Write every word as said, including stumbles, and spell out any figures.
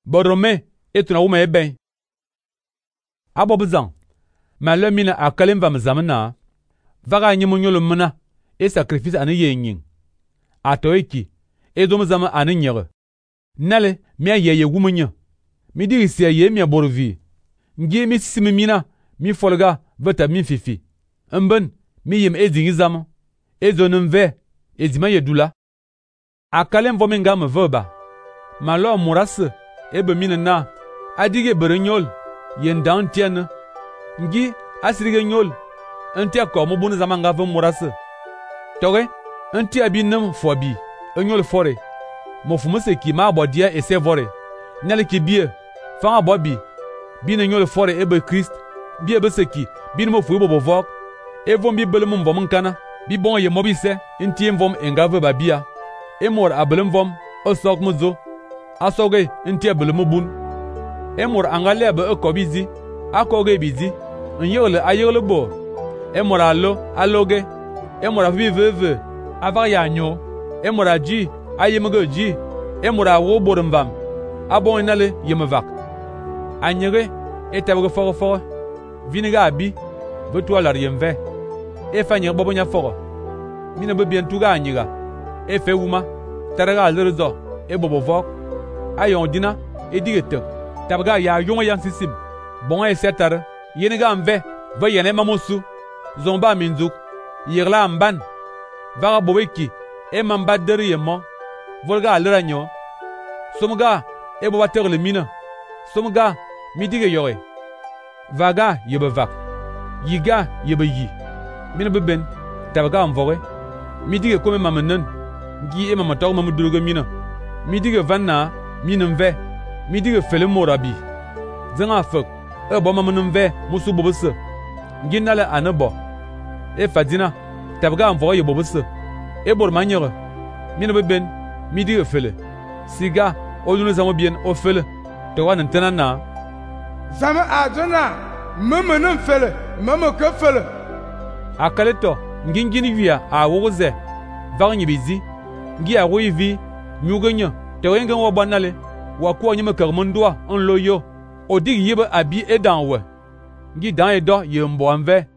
Borome etuna wuma eben. Abo bezang. Ma le mina akalem va mzamna. Vaga nyimu nyolo mna e sacrifice ane ye nyin. Ato eki edo mzama ane nyere. Nale mi ye ye wumunya. Mi diri siya ye mi borvi. Ngi mi simi mina mi folga veta mi fifi. Mben mi yem edingi zama. Ezo nmve edima ye dula. Akalem vo menga me veba. Ma lo murase ebe mina na adige berenyol yen dan tiene. Ngi asirige nyol enti akor mo bunu zama nga ve murase. Toge enti abinem fobi enyol fore. Mo fumuse ki ma abodia ese vore. Nale ki bie fa abobi bine nyol fore ebe Christ bie be seki bine mo fu bo vok evon bi belum mvom nkana bi bon ye mobise enti mvom engave ba bia emor abelum vom osok muzo asoge enti abelum bun emor angale be ekobizi akoge bizi nyole ayole bo emor alo aloge emor afi veve ava ya nyo emor aji ayemege ji emor awo borumvam abon inale yemvak anyere etabge foro foro viniga abi betu alar yemve efanye bobonya foro mina be bien tuga anyiga efe wuma taraga alrezo ebobo vok ayon dina edigete tabga ya yonga yan sisim bon esetar yeniga mve ve yene mamusu zomba minzuk yirla mban vaga bobeki e mamba deri yemo volga alra nyo somga ebo baterle mina somga midige yore vaga yebevak yiga yebeyi mina beben tabga mvoge midige kome mamenen gi e mamator mamudruge mina midige vanna minenve midige fele morabi zanga fek e bo mamnenve musu bobese nginale anebo e fadina tabga mvoge yebobese e bor manyere mina beben midige fele siga odunu zamo bien o fele to wan tena zama adona mamenem fele mame ke fele akaleto ngingini via a woze vagni bizi ngi a wivi nyugenya te wenga wo banale wa ko nyime karmondwa on loyo odig yibe abi edanwe ngi dan edo yembo anve